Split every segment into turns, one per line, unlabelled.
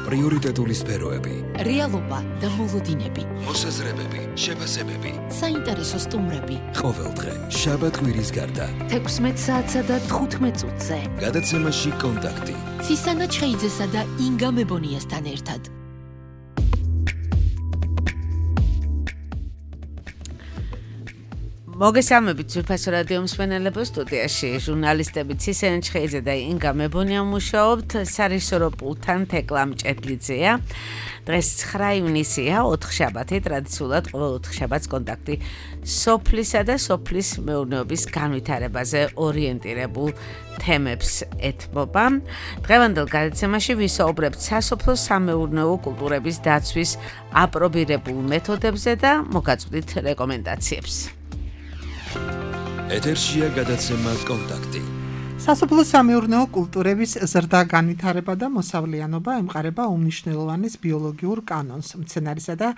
პრიორიტეტული სფეროები,
რეალობა და მოლოდინები,
მოსაზრებები, შეფასებები,
საინტერესო სტუმრები.
ყოველდღე შაბათ-კვირის გარდა
16 საათსა და 15 წუთზე.
გადაცემაში კონტაქტი.
ცისანა ჩხეიძესა და ინგა მებონიასთან ერთად.
მოგესალმებით ძვირფასო რადიო მსმენელებო, სტუდიაში ჟურნალისტები ცისანა ჩხეიძე და ინგა მებონია მუშაობთ, სარეჟისორო პულტთან თეკლა მჭედლიძეა. დღეს 9 ივნისია, 4 შაბათი, ტრადიციულად ყოველ 4 შაბათს კონტაქტი სოფლისა და სოფლის მეურნეობის განვითარებაზე ორიენტირებულ თემებს ეთმობა. დღევანდელ გადაცემაში ვისაუბრებთ სასოფლო-სამეურნეო კულტურების დაცვის აპრობირებულ მეთოდებზე და მოგაწვდით რეკომენდაციებს.
ეთერშია გადაცემა კონტაქტი.
სასოფლო-სამეურნეო კულტურების ზრდა განვითარება და მოსავლიანობა ემყარება უმნიშვნელოვანეს ბიოლოგიურ კანონს, მცენარისა და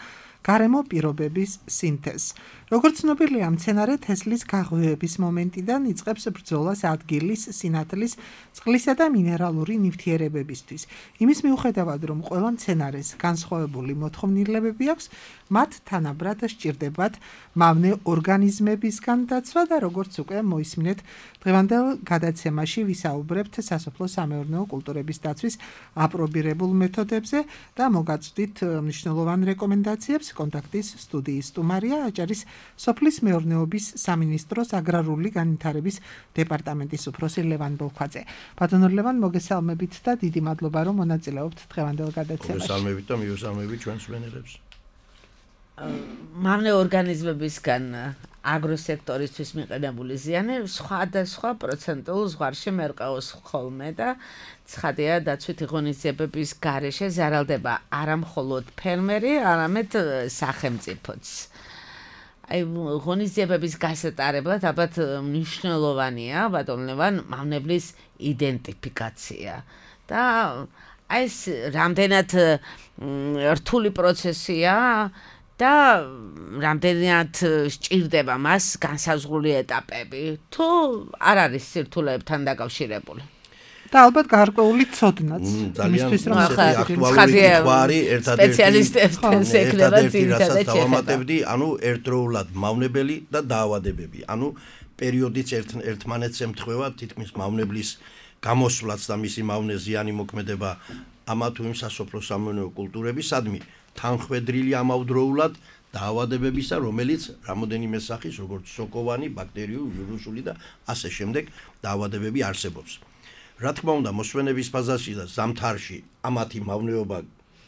გარემო პირობების სინთეზს. როგორც ცნობილია, მცენარე თესლის გაღვივების მომენტიდან იწყებს ბრძოლას ადგილის, სინათლის, წყლისა და მინერალური ნივთიერებებისთვის. იმის მიუხედავად, რომ ყველა მცენარეს განსხვავებული მოთხოვნილებები აქვს, მათ თანაბრად სჭირდებათ მავნე ორგანიზმებისგან დაცვა და როგორც უკვე მოისმინეთ, დღევანდელ გადაცემაში ვისაუბრებთ სასოფლო-სამეურნეო კულტურების დაცვის აპრობირებულ მეთოდებზე და მოგაწვდით მნიშვნელოვან რეკომენდაციებს. კონტაქტის სტუდიის სტუმარია აჭარის სოფლის მეურნეობის სამინისტროს აგრარული განვითარების დეპარტამენტის უფროსი ლევან ბოლქვაძე. ბატონო ლევან, მოგესალმებით და დიდი მადლობა, რომ მონაწილეობთ დღევანდელ გადაცემაში.
მოგესალმებით და მივესალმებით ჩვენს მსმენელებს.
მავნე ორგანიზმებისგან აგროსექტორისთვის მიყენებული ზიანი სხვადასხვა პროცენტულ ზღვარში მერყეობს ხოლმე და ცხადია, დაცვითი ღონისძიებების გარეშე ზარალდება არა მხოლოდ ფერმერი, არამედ სახელმწიფოც. აი ღონისძიებების გასატარებლად ალბათ მნიშვნელოვანია, ბატონ ლევან, მავნებლის იდენტიფიკაცია და აი ეს რამდენად რთული პროცესია და რამდენად სჭირდება მას განსაზღვრული ეტაპები, თუ არ არის სირთულეებთან დაკავშირებული.
და ალბათ გარკვეული ცოდნაც
იმისთვის რომ
აქტუალური
თვარი
სპეციალისტებთან შექმნება
ძირითადად დავამატებდი, ანუ ერთდროულად მავნებელი და დაავადებები. ანუ პერიოდიც ერთმანეთს ემთხვევა, თითქმის მავნებლის გამოსვლაც და მისი მავნე ზიანი მოქმედება ამა თუ იმ სასოფლო-სამეურნეო კულტურების, სადმი თანხვედრილი ამავდროულად დაავადებებისა, რომელიც რამოდენიმე სახის, როგორც სოკოვანი, ბაქტერიული, ვირუსული და ასე შემდეგ დაავადებები არსებობს. რა თქმა უნდა, მოსვენების ფაზაში და ზამთარში ამათი მავნეობა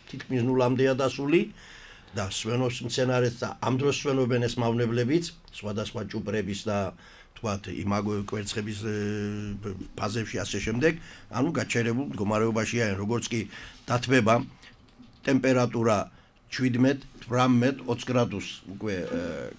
თითქმის ნულამდეა დასული და სვენობს მცენარეს და ამ დროს სვენობენ ეს მავნებლებიც, სხვადასხვა ჭუპრების და თქვათ იმაგო კვერცხების ფაზებში ასე შემდეგ, ანუ გაჩერებულ მდგომარეობაშია, როგორც კი დათბება ტემპერატურა 17-18 გრადუსს უკვე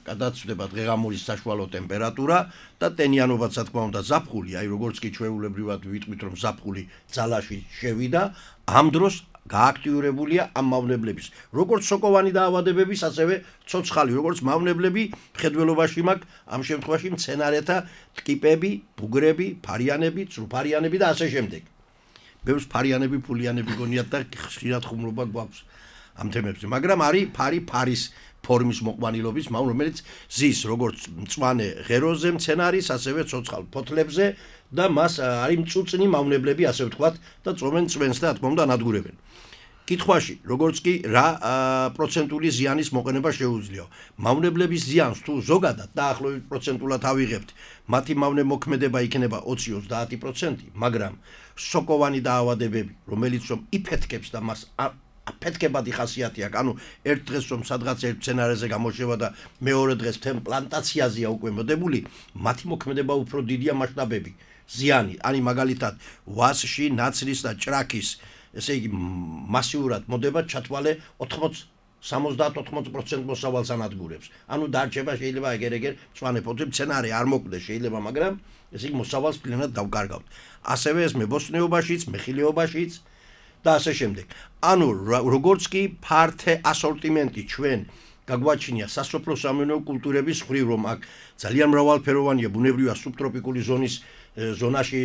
გადაცვდება დღეღამურის საშუალო ტემპერატურა და ტენიანობაც რა თქმა უნდა ზაფხული, აი როგორც კი ჩვეულებრივად ვიტყვით რომ ზაფხული ძალაში შევიდა, ამ დროს გააქტიურებულია ამ მავნებლების, როგორც სოკოვანი დაავადებების, ასევე ცოცხალი, როგორც მავნებლები, მხედველობაში მაქვს ამ შემთხვევაში მცენარეთა ტკიპები, ბუგრები, ფარიანები, წრუფარიანები და ასე შემდეგ. ბევრს ფარიანები, ფულიანები გონიათ და ხშირად ხუმრობა გვაქვს ამ თემებზე, მაგრამ არის ფარის ფორმის მოყვანილობის მავნე, რომელიც ზის როგორც მწვანე ღეროზე მცენარის, ასევე ცოცხალ ფოთლებზე და მას არის მწუწნი მავნებლები, ასე ვთქვათ, და წვომენ წვენს და რა თქმა უნდა ანადგურებენ. კითხვაში, როგორც კი რა პროცენტული ზიანის მოყენება შეუძლია. მავნებლების ზიანს თუ ზოგადად დაახლოებით პროცენტულად ავიღებთ, მათი მავნე მოქმედება იქნება 20-30%, მაგრამ სოკოვანი დაავადებები, რომელიც რომ იფეთქებს და მას აფეთქებადი ხასიათი აქვს, ანუ ერთ დღეს რომ სადღაც ერთ მცენარეზე გამოშევა და მეორე დღეს თემ პლანტაციაზეა უკვე მოდებული, მათი მოქმედება უფრო დიდია მასშტაბები. ზიანი, ანუ მაგალითად, ვასში, ნაცრის და ჭრაქის, ესე იგი მასიურად მოდება ჩათვალე 70-80% მოსავალს ანადგურებს. ანუ დარჩება შეიძლება ეგერ-ეგერ მწვანე ფოთლი მცენარე არ მოკვდეს შეიძლება, მაგრამ ესე იგი მოსავალს პლენად დავკარგავთ. ასევე ეს მებოსტნეობაშიც, მეხილეობაშიც და ასე შემდეგ. ანუ როგორც კი ფართე ასორტიმენტი ჩვენ გაგვაჩინია სასოფლო-სამეურნეო კულტურების ხრივ, რომ აქ ძალიან მრავალფეროვანია, ბუნებრივია სუბტროპიკული ზონის ზონაში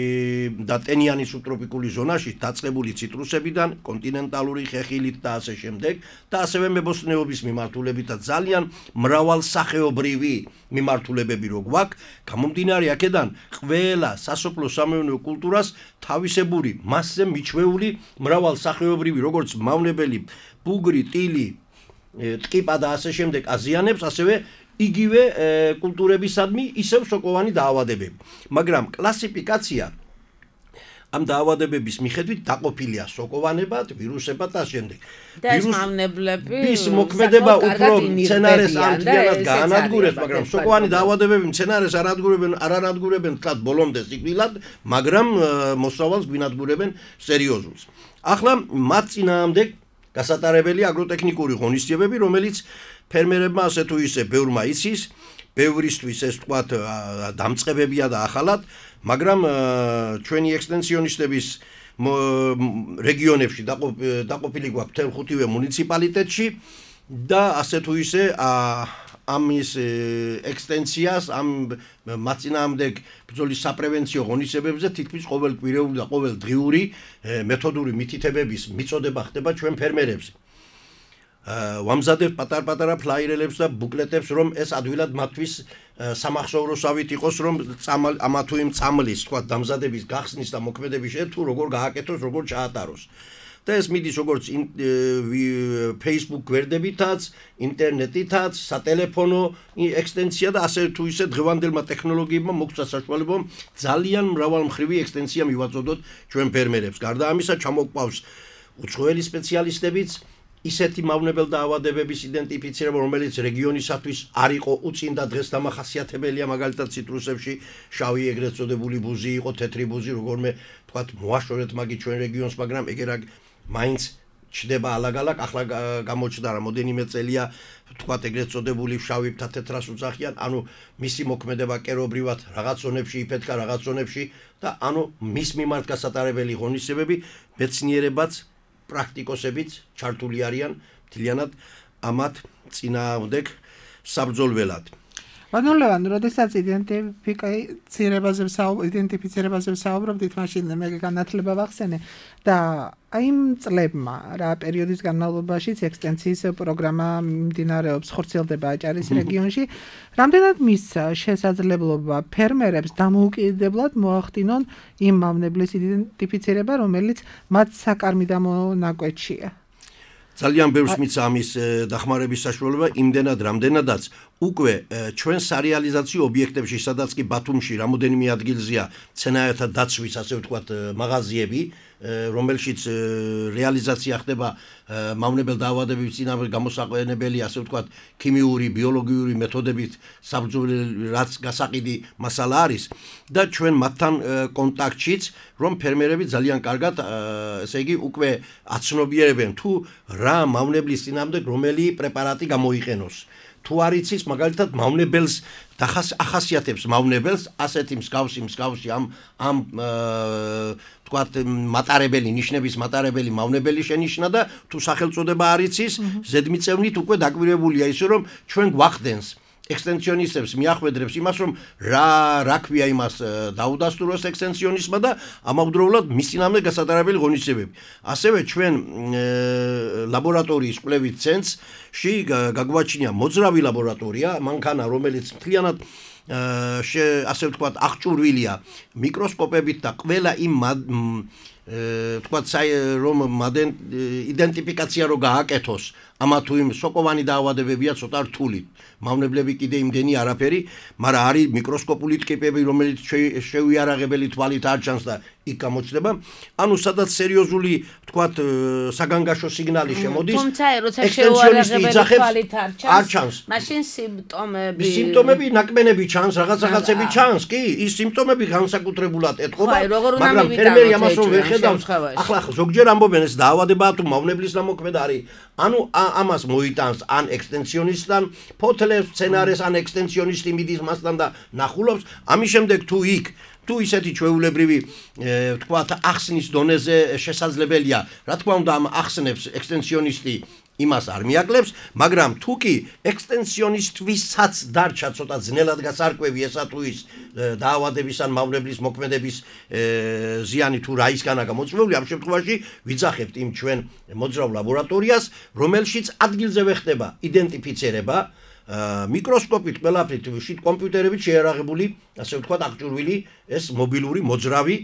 და ტენიანი სუბტროპიკული ზონაში დაწყებული ციტრუსებიდან, კონტინენტალური ხეხილით და ასე შემდეგ და ასევე მებოსტნეობის მიმართულებით და ძალიან მრავალსახეობრივი მიმართულებები რო გვაქვს, გამომდინარე აქედან ყველა სასოფლო სამეურნეო კულტურას თავისებური მასზე მიჩვეული მრავალსახეობრივი როგორც მავნებელი, ბუგრი, ტილი, ტკიპა და ასე შემდეგ აზიანებს, ასევე იგივე კულტურებისადმი ისევ სოკოვანი დაავადებები. მაგრამ კლასიფიკაცია ამ დაავადებების მიხედვით დაყოფილია სოკოვანებად, ვირუსებად და შემდეგ.
და ეს მავნებლები
ის მოქმედება უფრო მცენარეს ამთლიანად გაანადგურებს, მაგრამ სოკოვანი დაავადებები მცენარეს არ ანადგურებენ თქვათ ბოლომდე სიკვდილად, მაგრამ მოსავალს გვინადგურებენ სერიოზულს. ახლა მათ წინააღმდეგ გასატარებელი აგროტექნიკური ღონისძიებები, რომელიც ფერმერებმა ასე თუ ისე ბევრმა იცის, ბევრისთვის ეს თქვათ დამწყებებია და ახალად, მაგრამ ჩვენი ექსტენსიონისტების რეგიონებში დაყოფილი გვაქვს მთელ 5-ვე მუნიციპალიტეტში და ასე თუ ისე ამის ექსტენსიას ამ მაწინააღმდეგ ბრძოლის საპრევენციო ღონისძიებებზე თითქმის ყოველკვირეული და ყოველდღიური მეთოდური მითითებების მიწოდება ხდება ჩვენ ფერმერებზე. ვამზადებ პატარ-პატარა ფლაიერებს და ბუკლეტებს, რომ ეს ადვილად მათთვის სამახსოვროსავით იყოს, რომ ამა თუ იმ წამლის, თქვა დამზადების გახსნის და მოქმედების შედეგად თუ როგორ გააკეთოს, როგორ ჩაატაროს. და ეს მიდის როგორც Facebook გვერდებითაც, ინტერნეტითაც, სატელეფონო ექსტენსია და ასე თუ ისე დღევანდელმა ტექნოლოგიებმა მოგცა საშუალება ძალიან მრავალმხრივი ექსტენსია მივაწოდოთ ჩვენ ფერმერებს. გარდა ამისა, ჩამოგვყავს უცხოელი სპეციალისტებიც, ისეთი მავნებელ დაავადებების იდენტიფიცირება, რომელიც რეგიონისათვის არ იყო უწინ და დღეს დამახასიათებელია, მაგალითად ციტრუსებში შავი ეგრეთ წოდებული ბუზი იყო, თეთრი ბუზი, როგორმე თქვათ მოაშორეთ მაგი ჩვენ რეგიონს, მაგრამ ეგერ მაინც ჩდება ალაგ-ალაგ, ახლა გამოჩნდა რამოდენიმე წელია თქვათ ეგრეთ წოდებული შავი და თეთრას უძახიან, ანუ მისი მოქმედება კერობრივად რაღაც ზონებში იფეთქა, რაღაც ზონებში და ანუ მის მიმართ გასატარებელი ღონისძიებები მეცნიერებაც პრაქტიკოსებიც ჩართული არიან მთლიანად ამათ წინააღმდეგ საბრძოლველად.
ანუ ლევან, როდესაც იდენტიფიცირებაზე ვსაუბრობდით, მაშინ მე განათლება ვახსენე და იმ წლებმა რა პერიოდის განმავლობაშიც ექსტენსიის პროგრამა მიმდინარეობს, ხორციელდება აჭარის რეგიონში, რამდენად მისცა შესაძლებლობა ფერმერებს დამოუკიდებლად მოახდინონ იმ მავნებლის იდენტიფიცირება, რომელიც მათ საკარმიდამო ნაკვეთშია.
ძალიან ბევრს მიცა ამის დახმარების საშუალება, იმდენად რამდენადაც უკვე ჩვენ სარეალიზაციო ობიექტებში, სადაც კი ბათუმში რამოდენიმე ადგილზეა მცენარეთა დაცვის, ასე ვთქვათ, მაღაზიები, რომელშიც რეალიზაცია ხდება მავნებელ დაავადებების წინააღმდეგ გამოსაყენებელი, ასე ვთქვათ, ქიმიური, ბიოლოგიური მეთოდებით საბრძოლელი, რაც გასაყიდი მასალა არის და ჩვენ მათთან კონტაქტშიც, რომ ფერმერები ძალიან კარგად, ესე იგი, უკვე აცნობიერებენ თუ რა მავნებლის წინააღმდეგ რომელი პრეპარატი გამოიყენოს. თუ არ იცის მაგალითად მავნებელს ახასიათებს მავნებელს ასეთი მსგავსი ამ თქვათ მატარებელი ნიშნების მატარებელი მავნებელი შენიშნა და თუ სახელწოდება არ იცის ზედმიწევნით უკვე დაკვირვებულია ისე რომ ჩვენ გვახდენს ექსტენსიონისტებს მიახვედრებს იმას რომ რა ქვია იმას დაუდასტუროს ექსტენსიონისტმა და ამავდროულად მის წინააღმდეგ გასატარებელი ღონისძიებები. ასევე ჩვენ ლაბორატორიის კვლევით ცენტრში გაგვაჩნია მოძრავი ლაბორატორია, მანქანა, რომელიც მთლიანად ასე ვთქვათ აღჭურვილია მიკროსკოპებით და ყველა იმ თქვათ რომ იდენტიფიკაცია რო გააკეთოს ამა თუ იმ სოკოვანი დაავადებებია ცოტა რთული. მავნებლები კიდე იმდენი არაფერი, მაგრამ არის მიკროსკოპული ტკიპები, რომელიც შევიარაღებელი თვალით არ ჩანს და იქ გამოჩნდება. ანუ სადაც სერიოზული თქვათ საგანგაშო სიგნალი შემოდის.
თუმცა როცა შევიარაღებელი თვალით არ ჩანს, მაშინ
სიმპტომები ნაკმენები ჩანს, რაღაცები ჩანს, კი, ის სიმპტომები განსაკუთრებულად ეთყობა, მაგრამ ფერმერი ამას რომ ვერ ხედავს. ახლა ზოგჯერ ამბობენ ეს დაავადებაა თუ მავნებლის ნამოქმედა არის. ანუ ამას მოიტანს ან ექსტენსიონისტთან ფოთლებს, სცენარეს ან ექსტენსიონისტი მიდის მასთან და ნახულობს. ამის შემდეგ თუ იქ თუ ისეთი ჩვეულებრივი თქვათ ახსნის დონეზე შესაძლებელია, რა თქმა უნდა ამ ახსნებს ექსტენსიონისტი იმას არ მიაკლებს, მაგრამ თუ კი ექსტენსიონისტვისაც დარჩა ცოტა ძნელად გასარკვევი ესა თუ ის დაავადების ან მავნებლის მოქმედების ზიანი თუ რა ისგანა გამოწვეული, ამ შემთხვევაში ვიძახებთ იმ ჩვენ მოძრავ ლაბორატორიას, რომელშიც ადგილზე ვეხდება იდენტიფიცირება მიკროსკოპით ყველაფრით კომპიუტერებით შეიარაღებული, ასე ვთქვათ, აღჭურვილი ეს მობილური მოძრავი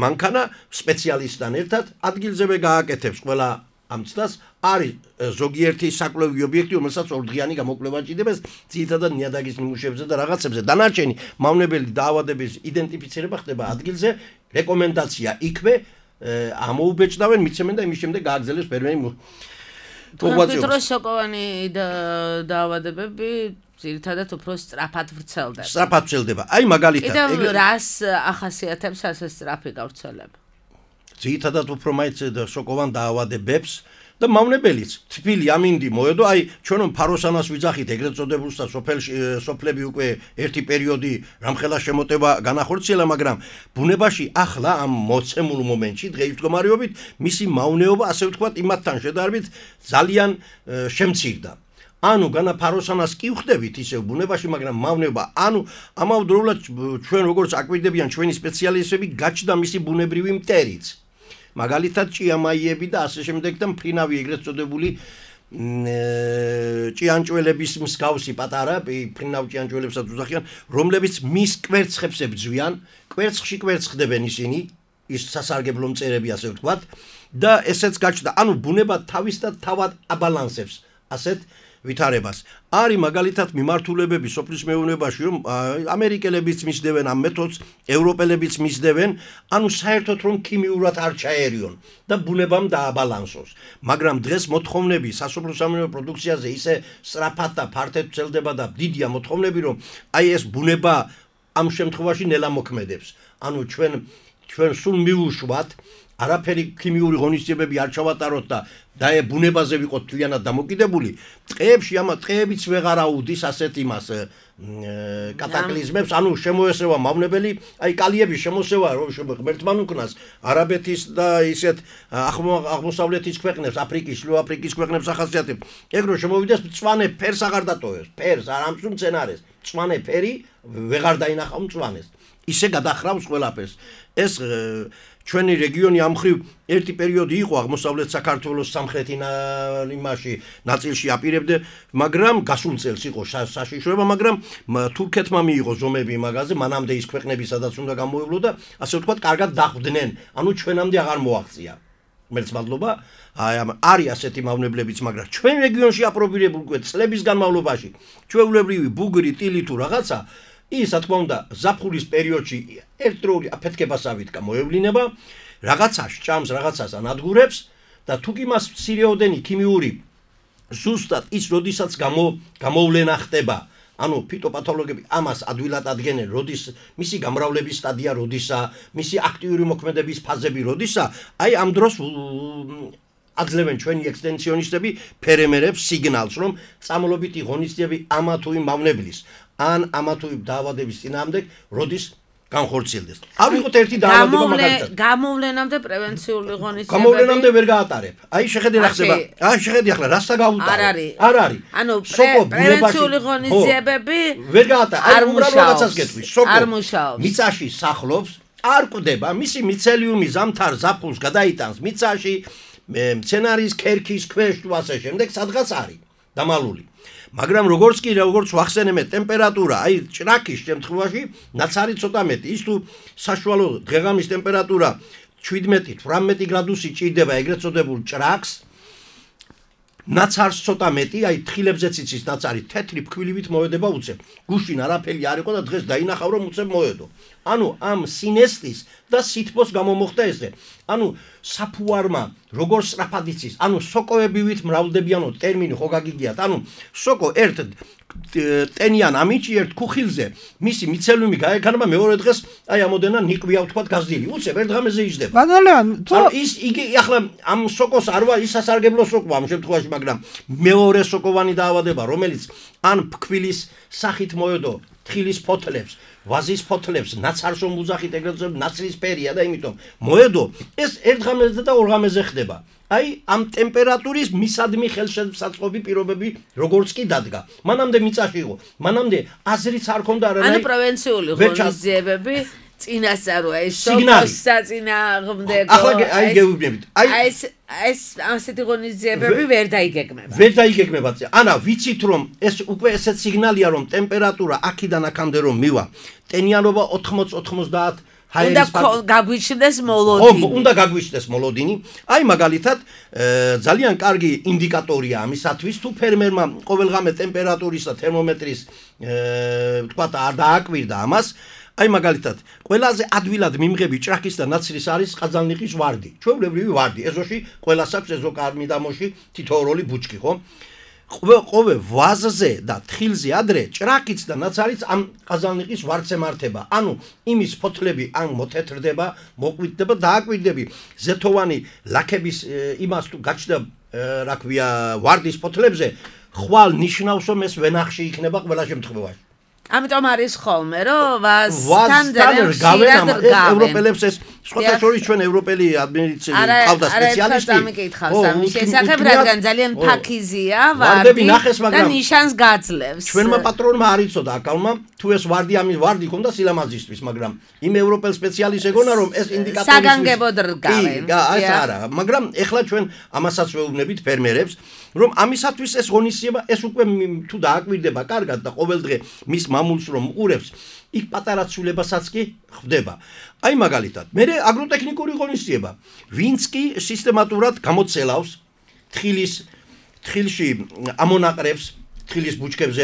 მანქანა სპეციალისტთან ერთად ადგილზევე გააკეთებს ყველა ამ ცდას არის ზოგიერთი საკვლევი ობიექტი, რომელსაც ორდღიანი გამოკვლევა ჭირდება ძირითადად ნიადაგის ნიმუშებზე და რაღაცებზე. დანარჩენი მავნებელი დაავადების იდენტიფიცირება ხდება ადგილზე, რეკომენდაცია იქვე ამოუბეჭდავენ, მიცემენ და იმის შემდეგ გააგრძელებს ფერმერი
კომპიუტერის სოკოვანი დაავადებები ძირითადად უფრო სწრაფად ვრცელდება.
სწრაფად ვრცელდება. აი მაგალითად,
კიდევ რას ახასიათებს ასე სწრაფი გავრცელება?
ძირითადად უფრო მაინც სოკოვან დაავადებებს და მავნებელიც თბილი ამინდი მოედო, აი ჩვენ ფაროსანას ვიძახით ეგრეთ წოდებულს და სოფლები უკვე ერთი პერიოდი რამხელა შემოტება განახორციელა, მაგრამ ბუნებაში ახლა ამ მოცემულ მომენტში დღეის მდგომარეობით მისი მავნეობა, ასე ვთქვათ, იმათთან შედარებით ძალიან შემცირდა. ანუ განა ფაროსანას კი ვხდებით ისევ ბუნებაში, მაგრამ მავნეობა, ანუ ამავდროულად ჩვენ როგორც აკვირდებიან ჩვენი სპეციალისტები, გაჩნდა მისი ბუნებრივი მტერიც. მაგალითად ჭიამაიები და ასე შემდეგ და მფრინავი ეგრეთ წოდებული ჭიანჭველების მსგავსი პატარა მფრინავ ჭიანჭველებსაც უძახიან, რომლებიც მის კვერცხებს ებძვიან, კვერცხში კვერცხდებენ ისინი, ის სასარგებლო მწერები ასე ვთქვათ და ესეც გაჩნდა. ანუ ბუნება თავისთავად თავად აბალანსებს ასეთ ვითარებას. არის მაგალითად მიმართულებები სოფლის მეურნეობაში, რომ ამერიკელებიც მისდევენ ამ მეთოდს, ევროპელებიც მისდევენ, ანუ საერთოდ რომ ქიმიურად არ ჩაერიონ და ბუნებამ დააბალანსოს. მაგრამ დღეს მოთხოვნები სასოფლო-სამეურნეო პროდუქციაზე ისე სწრაფად და ფართედ ვრცელდება და დიდია მოთხოვნები, რომ აი ეს ბუნება ამ შემთხვევაში ნელა მოქმედებს. ანუ ჩვენ სულ მივუშვათ, არაფერი ქიმიური ღონისძიებები არ ჩავატაროთ და ბუნებაზე ვიყოთ თლიანად დამოკიდებული, ტყეებში ამა ტყეებიც ვეღარ აუდის ასეთ იმას კატაკლიზმებს, ანუ შემოესევა მავნებელი, აი კალიების შემოსევა რომ ღმერთმან უკნას არაბეთის და ისეთ აღმოსავლეთის ქვეყნებს, აფრიკის, შუა აფრიკის ქვეყნებს ახასიათებს. ეგ რომ შემოვიდეს მწვანე ფერს აღარ დატოვებს, ფერს არ ამსუ მცენარეს, მწვანე ფერი ვეღარ დაინახავ მწვანეს. ისე გადახრავს ყველაფერს. ეს ჩვენი რეგიონი ამ ხრივ ერთი პერიოდი იყო აღმოსავლეთ საქართველოს სამხრეთი იმაში ნაწილში აპირებდა, მაგრამ გასულ წელს იყო საშიშროება, მაგრამ თურქეთმა მიიღო ზომები მაგაზე, მანამდე ის ქვეყნები სადაც უნდა გამოევლო და ასე ვთქვათ, კარგად დახვდნენ. ანუ ჩვენამდე აღარ მოაღწია. ღმერთს მადლობა, არის ასეთი მავნებლებიც, მაგრამ ჩვენ რეგიონში აპრობირებული უკვე წლების განმავლობაში ჩვეულებრივი ბუგრი, ტილი თუ რაღაცა ის რა თქმა უნდა ზაფხულის პერიოდში ერთდროული აფეთქებასავით გამოევლინება, რაღაცას ჭამს, რაღაცას ანადგურებს და თუ კი მას მცირეოდენი ქიმიური ზუსტად ის როდესაც გამოვლენა ხდება, ანუ ფიტოპათოლოგები ამას ადვილად ადგენენ, როდის მისი გამრავლების სტადია როდისა, მისი აქტიური მოქმედების ფაზები როდისა, აი ამ დროს აძლევენ ჩვენი ექსტენსიონისტები ფერმერებს სიგნალს, რომ წამლობითი ღონისძიებები ამა თუ იმ მავნებლის ან ამა თუ იმ დაავადების წინააღმდეგ როდის განხორციელდეს. ავიღოთ ერთი დაავადება მაგალითად.
გამოვლენამდე პრევენციული ღონისძიებები.
გამოვლენამდე ვერ გაატარებ. აი შეხედე რა ხდება. შეხედე ახლა რასა გაუტარო. არ არის.
ანუ პრევენციული ღონისძიებები
ვერ გაატარ. აი უბრალოდ რაღაცას გეტყვი.
არ მუშაობს.
მიწაში სახლობს, არ კვდება, მისი მიცელიუმი ზამთარ ზაფხულს გადაიტანს მიწაში, მცენარის ქერქის ქვეშ თუ ასე შემდეგ სადღაც არის დამალული. მაგრამ როგორც ვახსენებთ, ტემპერატურა, აი ჭრაკის შემთხვევაში ნაცარი ცოტა მეტი, ის თუ საშუალო დღეღამის ტემპერატურა 17-18 გრადუსი ჭირდება ეგრეთ წოდებულ ჭრაკს, ნაცარს ცოტა მეტი, აი თხილებზეც იცის ნაცარი, თეთრი ფქვილივით მოედება უცებ. გუშინ არაფერი არ იყო და დღეს დაინახავ რომ უცებ მოედო. ანუ ამ სინესტის და სითბოს გამომოხდა ესე. ანუ საფუარმა როგორ სწრაფად იცის, ანუ სოკოებივით მრავლდებიანო ტერმინი ხო გაგიგიათ, ანუ სოკო ერთ ტენიან ამინჩი ერთ ქუხილზე მისი მიცელიუმი გაექანება მეორე დღეს აი ამოდენა ნიკვია ვთქვათ გაზრდილი. უცებ ერთ დღამეზე იჯდება.
ბანალეან,
იგი ახლა ამ სოკოს არვა ის სასარგებლო სოკოა ამ შემთხვევაში, მაგრამ მეორე სოკოვანი დაავადება, რომელიც ან ფქვილის სახით მოედო თხილის ფოთლებს, ვაზის ფოთლებს, ნაცარსო მუზახით ეგრეთ წოდებული ნაცრისფერია და იმიტომ მოედო ეს ერთ ღამეზე და ორ ღამეზე ხდება. აი ამ ტემპერატურის მისადმი ხელშეწყობი პირობები როგორც კი დადგა. მანამდე მიწაში იყო, მანამდე აზრიც არ ქონდა არანაირი.
ანუ პროვინციული ღონისძიებები წინასწაროა ეს
სიგნალი.
საწინააღმდეგო.
ახლა აი გეუბნებით.
აი ეს ასეთი ღონისძიებები ვერ დაიგეგმება.
ვერ დაიგეგმება. ანა ვიცით რომ ეს უკვე ესეთ სიგნალია რომ ტემპერატურა აქედან აქამდე რომ მივა. ტენიანობა 80-90
უნდა გაგვიჩნდეს მოლოდინი.
უნდა გაგვიჩნდეს მოლოდინი. აი მაგალითად ძალიან კარგი ინდიკატორია ამისათვის თუ ფერმერმა ყოველღამე ტემპერატურის და თერმომეტრის თქვათ არ დააკვირდა ამას. აი მაგალითად ყველაზე ადვილად მიმღები ჭრაქის და ნაცრის არის ყაზალნიყის ვარდი. ჩვეულებრივი ვარდი. ეზოში ყველას აქვს ეზოკარმიდამოში თითოეული ბუჩქი, ხო? ყოველ ვაზზე და თხილზე ადრე ჭრაქიც და ნაცარიც ამ ყაზალნიყის ვარდს ემართება. ანუ იმის ფოთლები ან მოთეთრდება, მოყვიდდება, დააკვირდები ზეთოვანი ლაქების იმას თუ გაჩნდა რა ქვია ვარდის ფოთლებზე, ხვალ ნიშნავს რომ ეს ვენახში იქნება ყველა შემთხვევაში.
ამიტომ არის ხოლმე რომ ვაზთან ძალიან
ევროპელებს ეს სხვათა შორის ჩვენ ევროპელი ადმინისტრაცია ყავდა სპეციალისტი.
არა, მიკითხავს ამის შესახებ, რადგან ძალიან ფაქიზია ვარდი და ნიშანს გაძლევს.
ჩვენმა პატრონმა არ იცოდა აკალმა თუ ეს ვარდი ამის ვარდი ქონდა სილამაზისთვის, მაგრამ იმ ევროპელ სპეციალისტს ეგონა რომ ეს ინდიკატორი
საგანგებოდ რგავენ.
კი, არა, მაგრამ ეხლა ჩვენ ამასაც ვეუბნებით ფერმერებს რომ ამისათვის ეს ღონისძიება ეს უკვე თუ დააკვირდება კარგად და ყოველ დღე მის მამულს რომ უყურებს იქ პატარა ცვლილებასაც კი ხდება. აი მაგალითად, მე აგროტექნიკური ღონისძიება, ვინც კი სისტემატურად გამოცელავს თხილში ამონაყრებს, თხილის ბუჩქებზე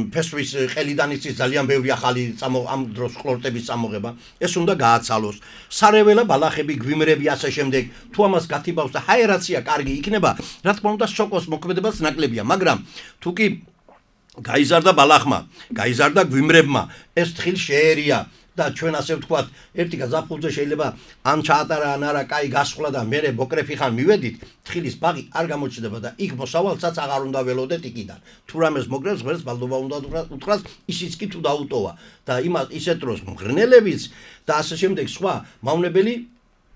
ფესვის ყელიდან იცის ძალიან ბევრი ახალი ამ დროს ყლორტების წამოღება, ეს უნდა გააცალოს. სარეველა ბალახები, გვიმრები ასე შემდეგ, თუ ამას გათიბავს და ჰაერაცია კარგი იქნება, რა თქმა უნდა სოკოს მოქმედებაც ნაკლებია, მაგრამ თუ კი გაიზარდა ბალახმა, გაიზარდა გვიმრებმა, ეს თხილი შეერია და ჩვენ ასე ვთქვათ, ერთი გაზაფხულზე შეიძლება ან ჩაატარა ან არა, კაი გასხლა და მე ბოკრეფი ხან მივედით, თხილის ბაღი არ გამოჩნდება და იქ მოსავალსაც აღარ უნდა ველოდეთ იქიდან. თუ რამეს მოგრებს, ღერს ბალდობა უნდა უთხრას, ისიც კი თუ დაუტოვა და ისეთ დროს მღრნელებიც და ასე შემდეგ სხვა მავნებელი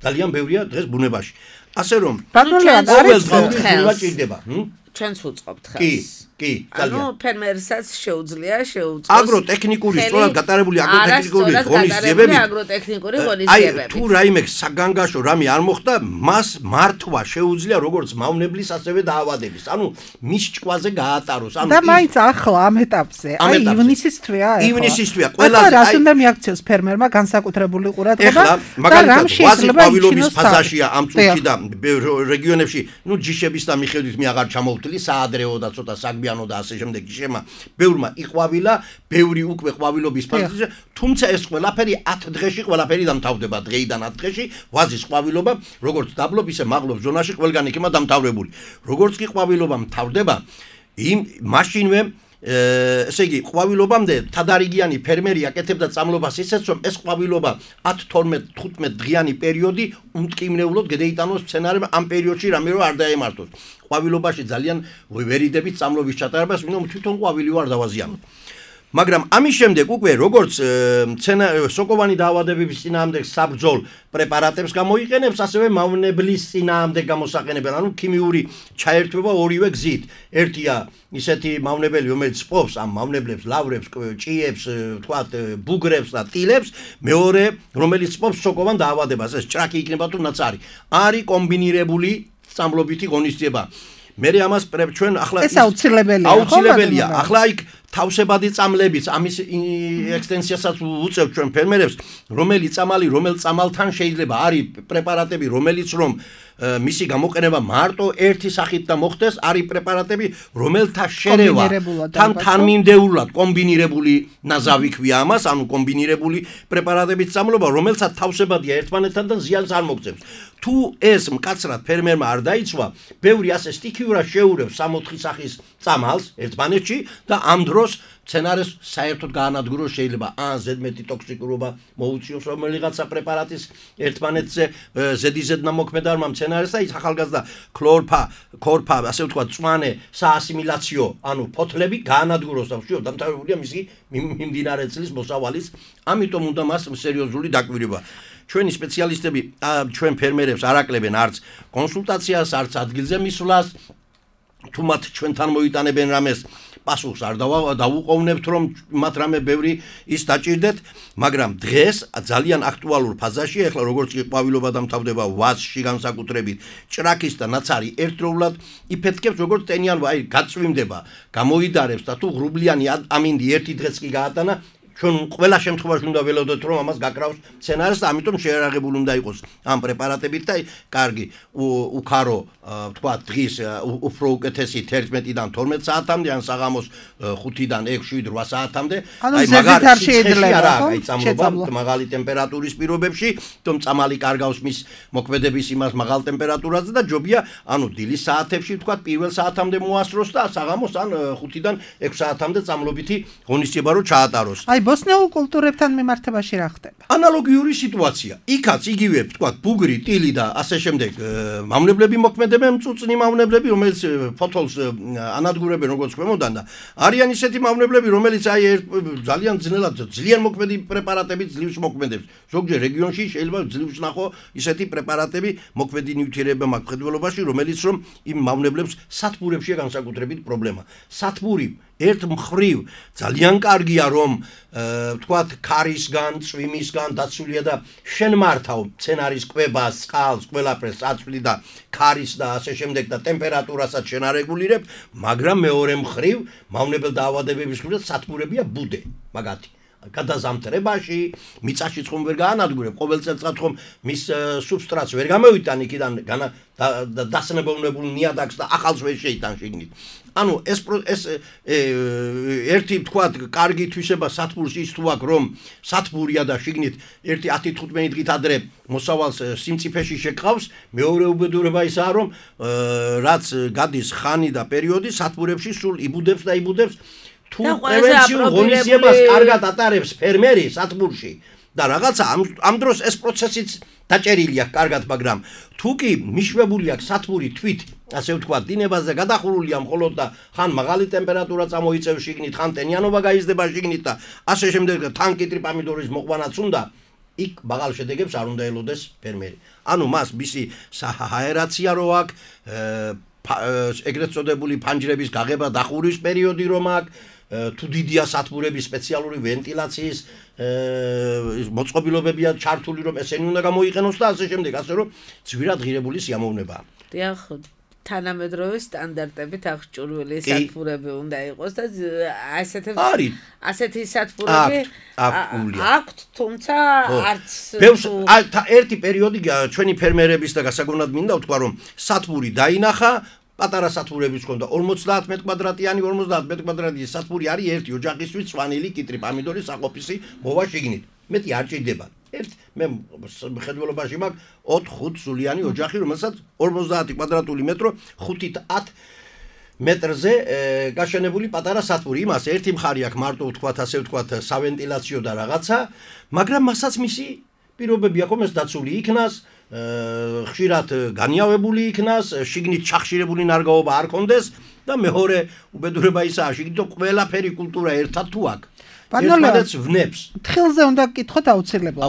ძალიან ბევრია დღეს ბუნებაში. ასე რომ ყოველ დღეს ჭირდება.
ჩვენც ვუწყობთ ხელს.
კი,
ანუ ფერმერსაც შეუძლია შეუწყოს
აგროტექნიკური სწორად გატარებული აგროტექნიკური ღონისძიებები.
აგროტექნიკური ღონისძიებები.
აი თუ რაიმე საგანგაშო რამე არ მოხდა, მას მართვა შეუძლია როგორც მავნებლის ასევე დაავადების. ანუ მის ჭკვაზე გაატაროს. ანუ
და მაინც ახლა ამ ეტაპზე, აი ივნისის თვეა ახლა.
ივნისის თვეა. ყველაზე
რას უნდა მიაქციოს ფერმერმა განსაკუთრებული ყურადღება
და
რამ შეიძლება
ყვავილობის ფაზაშია ამ წუთში და რეგიონებში, ნუ ჯიშების და მიხედვით მე აღარ ჩამოვთვლი, საადრეო და ცოტა საგბიანო და ასე შემდეგ შემა ბევრმა იყვავილა, ბევრი უკვე ყვავილობის ფაზაში, თუმცა ეს ყველაფერი 10 დღეში ყველაფერი დამთავრდება, დღეიდან 10 დღეში ვაზის ყვავილობა, როგორც დაბლობ ისე მაღლობ ზონაში ყველგან იქნება დამთავრებული. როგორც კი ყვავილობა მთავრდება, მაშინვე ესე იგი ყვავილობამდე თადარიგიანი ფერმერი აკეთებდა წამლობას ისეც რომ ეს ყვავილობა 10-12-15 დღიანი პერიოდი უმტკივნეულოდ გადაიტანოს მცენარემ ამ პერიოდში რამე რო არ დაემართოს. ყვავილობაში ძალიან ვერიდებით წამლობის ჩატარებას, ვინმე თვითონ ყვავილი ვარ დავაზიანოთ. მაგრამ ამის შემდეგ უკვე როგორც სოკოვანი დაავადებების წინააღმდეგ საბრძოლ პრეპარატებს გამოიყენებს, ასევე მავნებლის წინააღმდეგ გამოსაყენებენ, ანუ ქიმიური ჩაერთვება ორივე გზით. ერთია ისეთი მავნებელი, რომელიც სპობს ამ მავნებლებს, ლავრებს, ჭიებს, თქვათ, ბუგრებს და ტილებს, მეორე, რომელიც სპობს სოკოვან დაავადებას, ეს ჭრაკი იქნება თუ ნაცარი. არის კომბინირებული წამლობითი ღონისძიება. მე ამას ჩვენ ახლა
ეს აუცილებელია.
აუცილებელია. ახლა იქ თავსებადი წამლებიც ამის ექსტენსიასაც უწევთ ჩვენ ფერმერებს, რომელი წამალი, რომელ წამალთან შეიძლება არის პრეპარატები, რომელიც რომ მისი გამოყენება მარტო ერთი სახით და მოხდეს, არის პრეპარატები, რომელთა შერევა თანმიმდევრულად კომბინირებული ნაზავი ქვია ამას, ანუ კომბინირებული პრეპარატების წამლობა, რომელსაც თავსებადია ერთმანეთთან და ზიანს არ მოგწევს. თუ ეს მკაცრად ფერმერმა არ დაიცვა, ბევრი ასე სტიქიურად შეურევს 3-4 სახის წამალს ერთმანეთში და ამ დროს სცენარეს საერთოდ გაანადგუროს, შეიძლება ან ზედმეტი ტოქსიკურობა მოუწიოს რომელიღაცა პრეპარატის ერთმანეთზე ზედიზედ ნამოქმედარმა სცენარეს და ის ახალგაზრდა ქორფა, ასე ვთქვათ, წვანე საასიმილაციო, ანუ ფოთლები გაანადგუროს და ვშიო დამთავრებულია მისი მიმდინარე წლის მოსავალის, ამიტომ უნდა მას სერიოზული დაკვირვება. ჩვენი სპეციალისტები ჩვენ ფერმერებს არ აკლებენ არც კონსულტაციას, არც ადგილზე მისვლას, თუ მათ ჩვენთან მოიტანებენ რამეს პასუხს არ დავუყოვნებთ, რომ მათ რამე ბევრი ის დაჭირდეთ, მაგრამ დღეს ძალიან აქტუალურ ფაზაში, ახლა როგორც კი ყვავილობა დამთავრდება ვაზში განსაკუთრებით, ჭრაქის და ნაცარი ერთდროულად იფეთქებს, როგორც ტენიანობა, აი გაწვიმდება, გამოიდარებს და თუ ღრუბლიანი ამინდი ერთი დღეც კი გაატანა, ჩვენ ყველა შემთხვევაში უნდა ველოდოთ, რომ ამას გაკრავს სცენარს და ამიტომ შეერაღებული უნდა იყოს ამ პრეპარატებით და კარგი უქარო თქვა დღის უფრო უკეთესი 11-დან 12 საათამდე ან საღამოს 5-დან 6-7-8 საათამდე
აი მაგარ არ შეიძლება
ხო მაღალი ტემპერატურის პირობებში თუმ წამალი კარგავს მის მოქმედების იმას მაღალ ტემპერატურაზე და ჯობია ანუ დილის საათებში თქვა პირველ საათამდე მოასროს და საღამოს ან 5-დან 6 საათამდე წამლობითი ღონისძიება რო ჩაატაროს
ბოსნიურ კულტურებთან მიმართებაში რა ხდება?
ანალოგიური სიტუაცია. იქაც იგივე, თქვა, ბუგრი, ტილი და ასე შემდეგ მავნებლები მოქმედებენ, მწუწნი მავნებლები, რომელიც ფოთოლს ანადგურებენ როგორც ქვემოდან და არიან ისეთი მავნებლები, რომელიც აი ძალიან ძლიერ მოქმედი პრეპარატებით ძლივს მოქმედებს. ზოგჯერ რეგიონში შეიძლება ძლივს ნახო ისეთი პრეპარატები მოქმედი ნივთიერება მხედველობაში, რომელიც რომ იმ მავნებლებს სათბურებშია განსაკუთრებით პრობლემა. სათბური ერთ მხრივ ძალიან კარგია რომ თქვათ ქარისგან, წვიმისგან დაცულია და შენ მართავ სცენარის კვებას, წყალს, ყველაფერს აწვდი და ქარის და ასე შემდეგ და ტემპერატურასაც შენ არეგულირებ, მაგრამ მეორე მხრივ მავნებელ დაავადებების მხრივ სათბურებია ბუდე, მაგათი გადაზამთრებაში, მიწაში ხომ ვერ გაანადგურებ, ყოველ წელიწად ხომ მის სუბსტრატს ვერ გამოვიტან იქიდან დასნებოვნებულ ნიადაგს და ახალს ვერ შეიტან შიგნით. ანუ ეს ერთი თქვა კარგი თვისება სათბურს ის თუ აქვს რომ სათბურია და შიგნით ერთი 10-15 დღით ადრე მოსავალს სიმწიფეში შეკავს, მეორე უბედურება ისაა რომ რაც გადის ხანი და პერიოდი სათბურებში სულ იბუდებს და იბუდებს თუ პრევენციულ ღონისძიებას კარგად ატარებს ფერმერი სათბურში და რაღაცა ამ დროს ეს პროცესიც დაჭერილია კარგად, მაგრამ თუ კი მიშვებული აქვს სათბური თვით, ასე ვთქვათ, დინებაზე გადახურულია მხოლოდ და ხან მაღალი ტემპერატურა წამოიწევს შიგნით, ხან ტენიანობა გაიზრდება შიგნით და ასე შემდეგ თან კიტრი პამიდორის მოყვანაც უნდა, იქ მაღალ შედეგებს არ უნდა ელოდეს ფერმერი. ანუ მას მისი სააერაცია რო აქვს, ეგრეთ წოდებული ფანჯრების გაღება დახურის პერიოდი რომ აქვს, თუ დიდია სათბურების სპეციალური ვენტილაციის მოწყობილობებია ჩართული რომ ესენი უნდა გამოიყენოს და ასე შემდეგ, ასე რომ ძვირად ღირებული სიამოვნებაა.
დიახ, თანამედროვე სტანდარტებით აღჭურვილი სათბურები უნდა იყოს და ასეთი სათბურები აქვთ, თუმცა არც
ერთი პერიოდი ჩვენი ფერმერების და გასაგონად მინდა ვთქვა რომ სათბური დაინახა პატარა სათბურების ჰქონდა 50 მეტ კვადრატიანი 50 მეტ კვადრატიანი სათბური არის ერთი ოჯახისთვის სვანილი კიტრი პამიდორი საყოფისი მოვა შიგნით მეტი არ ჭირდება მე მხედველობაში მაქვს 4-5 სულიანი ოჯახი რომელსაც 50 კვადრატული მეტრო 5-10 მეტრზე გაშენებული პატარა სათბური იმას ერთი მხარი აქვს მარტო ვთქვათ ასე ვთქვათ სავენტილაციო და რაღაცა მაგრამ მასაც მისი პირობები აქვს ეს დაცული იქნას ხშირად განიავებული იქნას, შიგნით ჩახშირებული ნარგაობა არ კონდეს და მეორე უბედურება ისაა, შიგნით ყველაფერი კულტურა ერთად თუ აქვს. ერთმანეთს ვნებს.
თხილზე უნდა გკითხოთ აუცილებლად.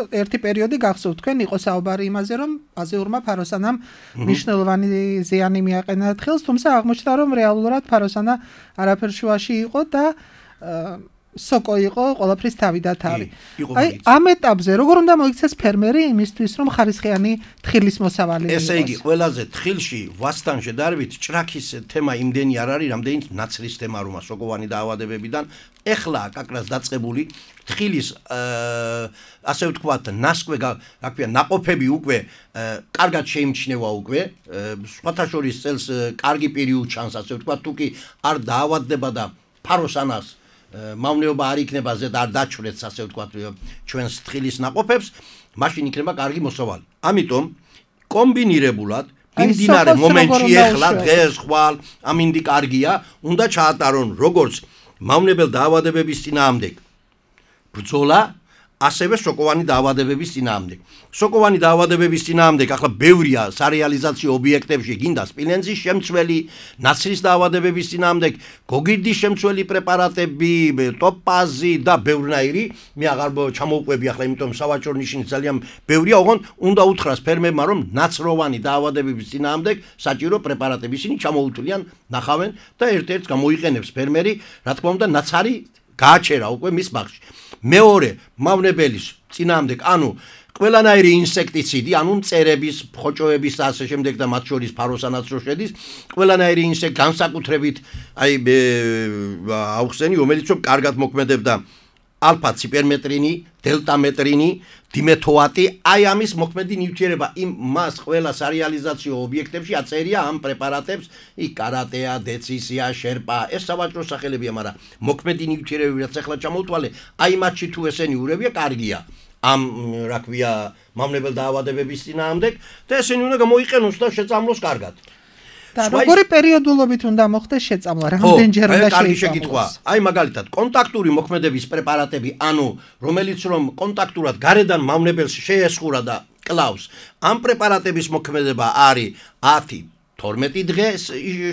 ერთი პერიოდი გახსოვთ თქვენ იყო საუბარი იმაზე, რომ აზიურმა ფაროსანამ მნიშვნელოვანი ზიანი მიაყენა თხილს, თუმცა აღმოჩნდა, რომ რეალურად ფაროსანა არაფერ შუაში იყო და სოკო იყო ყველაფრის თავი და თავი. აი ამ ეტაპზე როგორ უნდა მოიქცეს ფერმერი იმისთვის რომ ხარისხიანი თხილის მოსავალი იყოს?
ესე იგი ყველაზე თხილში ვასთან შედარებით ჭრაქის თემა იმდენი არ არის, რამდენიც ნაცრის თემა რომა სოკოვანი დაავადებებიდან ეხლა კაკრას დაწყებული თხილის ასე ვთქვათ ნასკვე რა ქვია ნაყოფები უკვე კარგად შეიმჩნევა უკვე სხვათა შორის წელს კარგი პირი უჩანს ასე ვთქვათ თუ კი არ დაავადდება და ფაროსანას მავნეობა არ იქნება ზედ არ დაჩვრეთს ასე ვთქვათ ჩვენს თხილის ნაყოფებს, მაშინ იქნება კარგი მოსავალი. ამიტომ კომბინირებულად მიმდინარე მომენტში ეხლა დღეს ხვალ ამინდი კარგია, უნდა ჩაატარონ როგორც მავნებელ დაავადებების წინააღმდეგ ბრძოლა, ასევე სოკოვანი დაავადებების წინააღმდეგ. სოკოვანი დაავადებების წინააღმდეგ ახლა ბევრია სარეალიზაციო ობიექტებში, გინდა სპილენძის შემცველი, ნაცრის დაავადებების წინააღმდეგ, გოგირდის შემცველი პრეპარატები, ტოპაზი და ბევრნაირი. მე აღარ ჩამოვყვები ახლა, იმიტომ სავაჭრო ნიშნის ძალიან ბევრია, ოღონდ უნდა უთხრას ფერმერმა, რომ ნაცროვანი დაავადებების წინააღმდეგ საჭირო პრეპარატები ისინი ჩამოუთვლიან, ნახავენ და ერთ-ერთს გამოიყენებს ფერმერი, რა თქმა უნდა, ნაცარი გააჩერა უკვე მის ბაღში. მეორე მავნებელის წინააღმდეგ, ანუ ყველანაირი ინსექტიციდი, ანუ მწერების, ხოჭოების და ასე შემდეგ და მათ შორის ფაროსანაც რო შედის, ყველანაირი ინსექტი განსაკუთრებით აუხსენი, რომელიც რომ კარგად მოქმედებდა ალფა ციპერმეტრინი, დელტამეტრინი, დიმეთოატი, აი ამის მოქმედი ნივთიერება იმ მას ყველა სარეალიზაციო ობიექტებში აწერია ამ პრეპარატებს, იქ კარატეა, დეცისია, შერპა, ეს სავაჭრო სახელებია, მაგრამ მოქმედი ნივთიერებები რაც ახლა ჩამოვთვალე, აი მათში თუ ესენი ურევია, კარგია. ამ რა ქვია, მავნებელ დაავადებების წინააღმდეგ და ესენი უნდა გამოიყენოს და შეწამლოს კარგად.
და როგორი პერიოდულობით უნდა მოხდეს შეწამლა, რამდენჯერ უნდა
შეიწამლოს? აი მაგალითად, კონტაქტური მოქმედების პრეპარატები, ანუ რომელიც რომ კონტაქტურად გარედან მავნებელს შეესხურა და კლავს, ამ პრეპარატების მოქმედება არის 10-12 დღე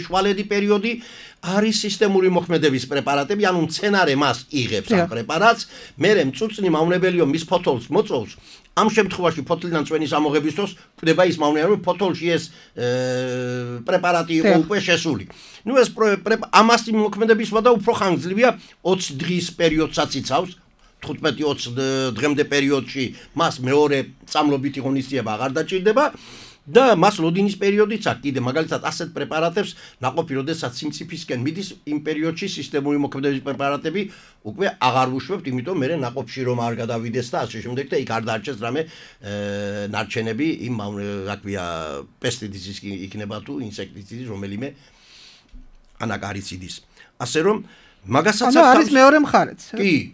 შვალედი პერიოდი, არის სისტემური მოქმედების პრეპარატები, ანუ მცენარე მას იღებს ამ პრეპარატს, მერე მწუწნი მავნებელიო მის ფოთოლს მოწოვს. ამ შემთხვევაში ფოთლიდან წვენის ამოღების დროს კვდება ის მავნებელი, რომ ფოთოლში ეს პრეპარატი იყო უკვე შესული. ნუ ეს ამას მოქმედების ვადა უფრო ხანგრძლივია, 20 დღის პერიოდსაც იცავს. 15-20 დღემდე პერიოდში მას მეორე წამლობითი ღონისძიება აღარ დაჭირდება. და მას ლოდინის პერიოდიც აქვს კიდე მაგალითად ასეთ პრეპარატებს ნაყოფი როდესაც სიმწიფისკენ მიდის იმ პერიოდში სისტემური მოქმედების პრეპარატები უკვე აღარ ვუშვებთ, იმიტომ მე ნაყოფში რომ არ გადავიდეს და ასე შემდეგ და იქ არ დაარჩეს რამე ნარჩენები იმ რა ქვია პესტიციდის იქნება თუ ინსექტიციდის რომელიმე ანაკარიციდის. ასე რომ მაგასაც
არის მეორე მხარეც.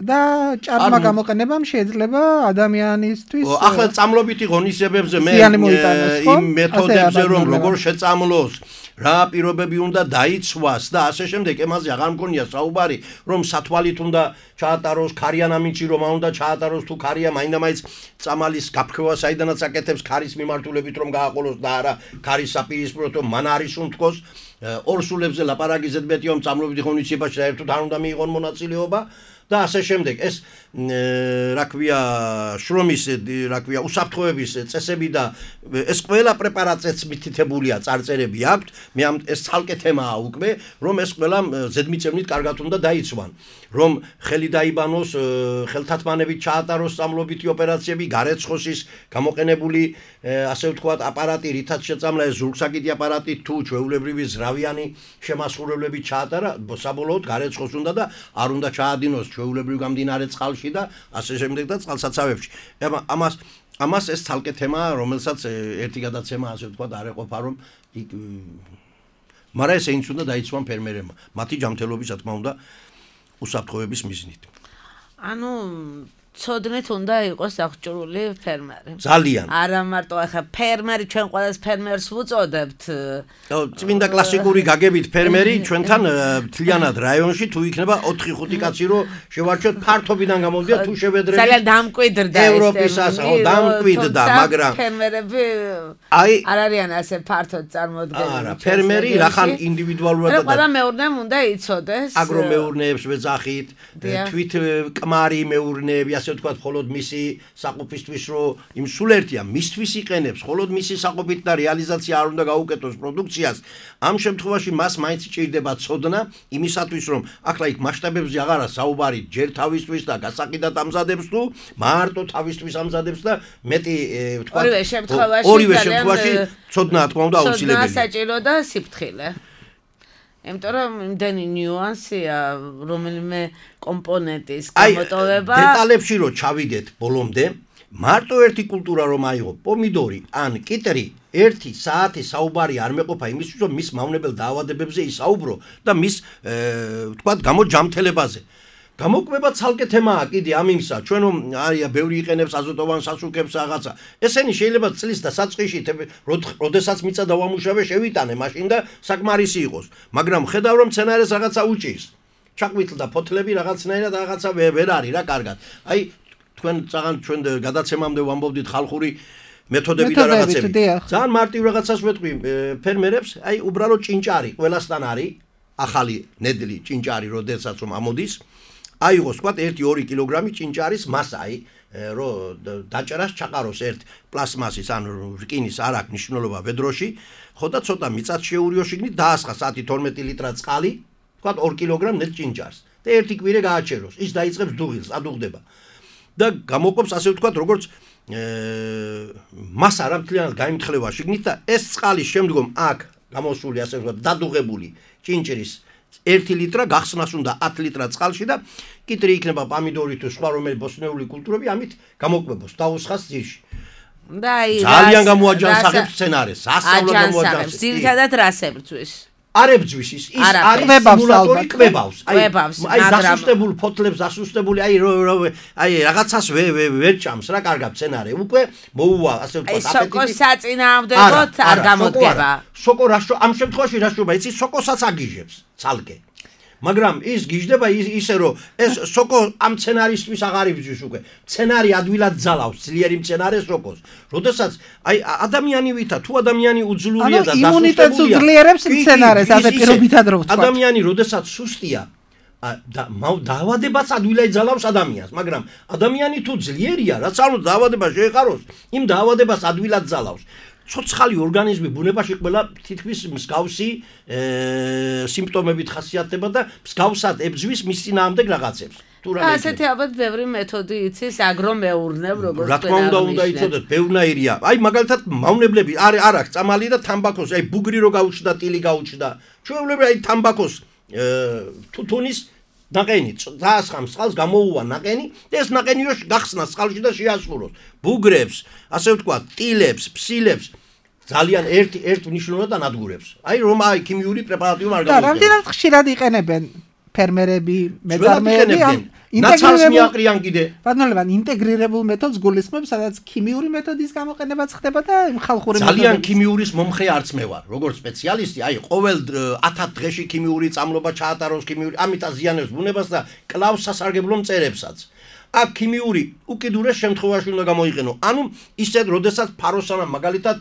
და ჭარბმა გამოყენებამ შეიძლება ადამიანისთვის
ახლა წამლობითი ღონისძიებებზე მე იმ მეთოდებზე რომ როგორ შეწამლოს, რა პირობები უნდა დაიცვას და ასე შემდეგ, ემაზე აღარ მგონია საუბარი, რომ სათვალით უნდა ჩაატაროს, ქარიან ამინჩი რომ უნდა ჩაატაროს თუ ქარია მაინდა-მაინც წამალის გაფრქვა საიდანაც აკეთებს ქარის მიმართულებით რომ გააყოლოს და არა ქარის საპირისპიროდ რომ მან არის უნთქოს. ორსულებზე ლაპარაკი ზედმეტი რომ წამლობითი ღონისძიებაში საერთოდ არ უნდა მიიღონ მონაწილეობა და ასე შემდეგ. ეს რა ქვია შრომის რა ქვია უსაფრთხოების წესები და ეს ყველა პრეპარატზეც მითითებულია წარწერები აქვთ. მე ამ ეს ცალკე თემაა უკვე, რომ ეს ყველა ზედმიწევნით კარგად უნდა დაიცვან, რომ ხელი დაიბანოს, ხელთათმანებით ჩაატაროს წამლობითი ოპერაციები, გარეცხოსის გამოყენებული ასე ვთქვათ აპარატი, რითაც შეწამლა ეს ზურგსაკიდი აპარატი თუ ჩვეულებრივი ზრავიანი შემასხურებლები ჩაატარა, საბოლოოდ გარეცხოს უნდა და არ უნდა ჩაადინოს ჩვეულებრივ გამდინარე წყალში და ასე შემდეგ და წყალსაცავებში. ამას ეს ცალკე თემაა, რომელსაც ერთი გადაცემა ასე ვთქვათ არ ეყოფა, რომ მაგრამ ეს ეინც უნდა დაიცვან ფერმერებმა, მათი ჯანმრთელობის რა თქმა უნდა უსაფრთხოების მიზნით.
ანუ ცოდნით უნდა იყოს აღჭურვილი ფერმერი.
ძალიან.
არა მარტო ახლა ფერმერი, ჩვენ ყველას ფერმერს ვუწოდებთ.
წმინდა კლასიკური გაგებით ფერმერი ჩვენთან მთლიანად რაიონში თუ იქნება 4-5 კაცი რო შევარჩიოთ ფართობიდან გამოვიდა თუ შევედრებით.
ძალიან დამკვიდრდა ეს
ევროპის ასო დამკვიდრდა, მაგრამ
ფერმერები არ არიან ასე ფართოდ წარმოდგენილი.
არა, ფერმერი რახან ინდივიდუალურად და
ყველა მეურნემ უნდა იცოდეს.
აგრომეურნეებს ვეძახით, თვით კმარი მეურნეები ასე ვთქვათ, მხოლოდ მისი საყოფისთვის რო იმ სულ ერთია, მისთვის იყენებს, მხოლოდ მისი საყოფით და რეალიზაცია არ უნდა გაუკეთოს პროდუქციას. ამ შემთხვევაში მას მაინც ჭირდება ცოდნა იმისათვის, რომ ახლა იქ მასშტაბებზე აღარა საუბარი ჯერ თავისთვის და გასაყიდად ამზადებს თუ მარტო თავისთვის ამზადებს და მეტი ვთქვათ, ორივე შემთხვევაში ცოდნა თქმა უნდა აუცილებელია.
ცოდნა საჭირო და სიფრთხილე. იმიტომ რომ იმდენი ნიუანსია რომელიმე კომპონენტის გამოტოვება.
აი, დეტალებში რო ჩავიდეთ ბოლომდე, მარტო ერთი კულტურა რომ აიღო, პომიდორი ან კიტრი, 1 საათი საუბარი არ მეყოფა იმისთვის, რომ მის მავნებელ დაავადებებზე ისაუბრო და მის ვთქვათ, გამოჯამთელებაზე. გამოკვება ცალკე თემაა კიდე ამ იმისა, ჩვენ რომ არია ბევრი იყენებს აზოტოვან სასუქებს რაღაცა. ესენი შეიძლება წლის და საწყისში, როდესაც მიწა დავამუშავე, შევიტანე მაშინ და საკმარისი იყოს. მაგრამ ხედავ რომ მცენარეს რაღაცა უჭირს. ჩაყვითლდა ფოთლები რაღაცნაირად რაღაცა ვერ არის რა კარგად. აი თქვენ ჩვენ გადაცემამდე ვამბობდით ხალხური მეთოდები და რაღაცები. ძალიან მარტივ რაღაცას ვეთქვი ფერმერებს, აი უბრალოდ ჭინჭარი ყველასთან არის, ახალი ნედლი ჭინჭარი, როდესაც ამოდის, აიღოს თქვა 1-2 კილოგრამი ჭინჭარის მასაი, რომ დაჭერას ჩაყაროს ერთ პლასმასის ან რკინის არ აქვს მნიშვნელობა ვედროში, ხო და ცოტა მიწაც შეურიო შიგნით დაასხა 10-12 ლიტრა წყალი, თქვა 2 კილოგრამ ნედლ ჭინჭარს და ერთი კვირე გააჩეროს, ის დაიწყებს დუღილს, ადუღდება. და გამოყოფს ასე ვთქვათ, როგორც მასა რა მთლიანად გაიმთხლება შიგნით და ეს წყალი შემდგომ აქ გამოსული ასე ვთქვათ დადუღებული ჭინჭრის 1 ლიტრა გახსნას უნდა 10 ლიტრა წყალში და კიტრი იქნება პამიდორი თუ სხვა რომელი ბოსტნეული კულტურები ამით გამოკვებოს დაუსხას ძირში.
და აი
ძალიან გამოაჯანსაღებს სცენარეს, სასწაულად გამოაჯანსაღებს.
ძირითადად რას ებრძვის?
არ ებძვის ის არის სიმულატორი კვებავს. აი დასუსტებულ ფოთლებს, დასუსტებული აი რაღაცას ვერ ჭამს რა კარგად სცენარე. უკვე მოუვა ასე ვთქვათ
აპეტიტი. აი სოკოს საწინააღმდეგოდ არ გამოდგება.
სოკო ამ შემთხვევაში რა შეიძლება იცი სოკოსაც აგიჟებს ცალკე. მაგრამ ის გიჟდება ისე რომ ეს სოკო ამ სცენარისტვის აღარ იბძვის უკვე. სცენარი ადვილად ძალავს ძლიერი სცენარე სოკოს. როდესაც აი ადამიანი ვითა თუ ადამიანი უძლურია და დასუსტებულია.
იმუნიტეტს უძლიერებს სცენარეს ასე პირობითად რო ვთქვა.
ადამიანი როდესაც სუსტია და დაავადებაც ადვილად ძალავს ადამიანს, მაგრამ ადამიანი თუ ძლიერია, რაც არ უნდა დაავადება შეეყაროს, იმ დაავადებას ადვილად ძალავს. ცოცხალი ორგანიზმი ბუნებაში ყველა თითქმის მსგავსი სიმპტომებით ხასიათდება და მსგავსად ებძვის მის წინააღმდეგ რაღაცებს.
ასეთი ალბათ ბევრი მეთოდი იცის აგრომეურნებ როგორც
რა თქმა უნდა იცოდეთ ბევრნაირია. აი მაგალითად მავნებლები არ აქვს წამალი და თამბაქოს, აი ბუგრი რო გაუჩნდა, ტილი გაუჩნდა. ჩვეულებრივ აი თამბაქოს თუთუნის ნაყენი დაასხამს წყალს გამოუვა ნაყენი და ეს ნაყენი რო გახსნას წყალში და შეასრულოს. ბუგრებს, ასე ვთქვათ, ტილებს, ფსილებს ძალიან ერთ მნიშვნელოვნად ანადგურებს. აი რომ აი ქიმიური პრეპარატი არ გამოიყენებს.
და რამდენად ხშირად იყენებენ ფერმერები, მეწარმეები
ნაცალს მიაყრიან კიდე.
ბატონებთან ინტეგრირებულ მეთოდს გულისხმობს, სადაც ქიმიური მეთოდის გამოყენებაც ხდება და ხალხური მეთოდის.
ძალიან ქიმიურის მომხრე არც მე ვარ, როგორც სპეციალისტი, აი ყოველ 10 დღეში ქიმიური წამლობა ჩაატაროს ქიმიური, ამით აზიანებს ბუნებას და კლავს სასარგებლო მწერებსაც. აქ ქიმიური უკიდურეს შემთხვევაში უნდა გამოიყენო. ანუ ისეთ, როდესაც ფაროსანა მაგალითად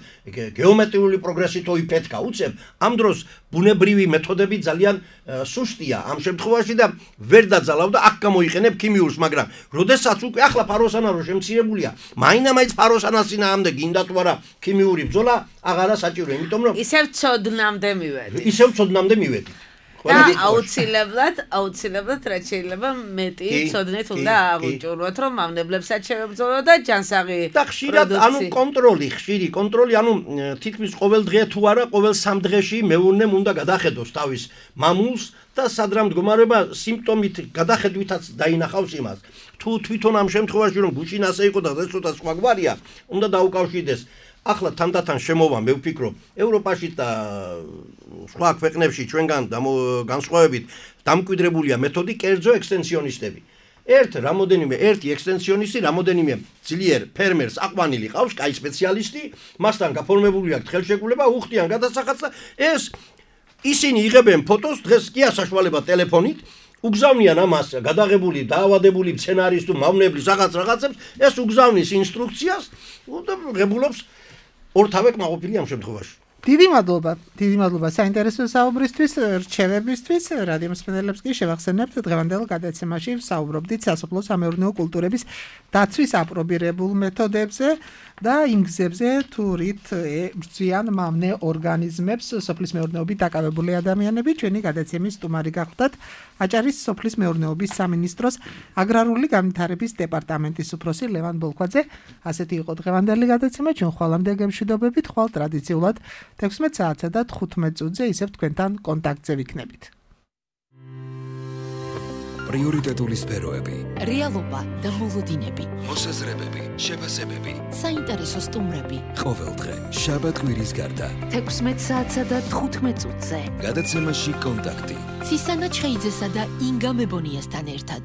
გეომეტრიული პროგრესით ოიფეთკა უწევ, ამ დროს ბუნებრივი მეთოდები ძალიან სუსტია ამ შემთხვევაში და ვერ დაძალავ და აქ გამოიყენებ ქიმიურს, მაგრამ როდესაც უკვე ახლა ფაროსანა რო შემცირებულია, მაინც ფაროსანას წინააღმდეგ გინდა თუ არა ქიმიური ბრძოლა აღარა საჭირო, იმიტომ რომ
ისევ ცოდნამდე
მივედი.
და აუცილებლად რაც შეიძლება მეტი ცოდნით უნდა აღუჭურვოთ, რომ მავნებლებსაც შევებრძოლო და ჯანსაღი
და ხშირად ანუ ხშირი კონტროლი, ანუ თითქმის ყოველ დღე თუ არა, ყოველ 3 დღეში მეურნემ უნდა გადახედოს თავის მამულს და სადრა მდგომარეობა სიმპტომით გადახედვითაც დაინახავს იმას. თუ თვითონ ამ შემთხვევაში რომ გუჩინ ასე იყო და ცოტა სხვა გვარია, უნდა დაუკავშირდეს. ახლა თანდათან შემოვა მე ვფიქრობ ევროპაში და სხვა ქვეყნებში ჩვენგან განსხვავებით დამკვიდრებულია მეთოდი კერძო ექსტენსიონისტები. ერთი ექსტენსიონისტი რამოდენიმე ძლიერ ფერმერს აყვანილი ყავს, კაი სპეციალისტი, მასთან გაფორმებული აქვს ხელშეკრულება, უხდიან გადასახადს და ისინი იღებენ ფოტოს, დღეს კი ასაშვალება ტელეფონით, უგზავნიან ამას გადაღებული, დაავადებული სცენარის თუ მავნებლის რაღაცებს, ეს უგზავნის ინსტრუქციას და ღებულობს ორთავე კმაყოფილი ამ შემთხვევაში.
დიდი მადლობა საინტერესო საუბრისთვის, რჩევებისთვის. რადიო მსმენელებს კი შევახსენებთ დღევანდელ გადაცემაში საუბრობდით სასოფლო-სამეურნეო კულტურების დაცვის აპრობირებულ მეთოდებზე და იმ გზებზე, თუ რით ბრძვიან მავნე ორგანიზმებს სოფლის მეურნეობით დაკავებული ადამიანები. ჩვენი გადაცემის სტუმარი გახლდათ აჭარის სოფლის მეურნეობის სამინისტროს აგრარული განვითარების დეპარტამენტის უფროსი ლევან ბოლქვაძე. ასეთი იყო დღევანდელი გადაცემა. ჩვენ ხვალამდე გემშვიდობებით, ხვალ ტრადიციულად 16 საათსა და 15 წუთზე ისევ თქვენთან კონტაქტზე ვიქნებით.
პრიორიტეტული სფეროები,
რეალობა და მოლოდინები,
მოსაზრებები, შეფასებები,
საინტერესო სტუმრები.
ყოველდღე შაბათ კვირის გარდა
16 საათსა და 15 წუთზე.
გადაცემაში კონტაქტი.
ცისანა ჩხეიძესა და ინგა მებონიასთან ერთად.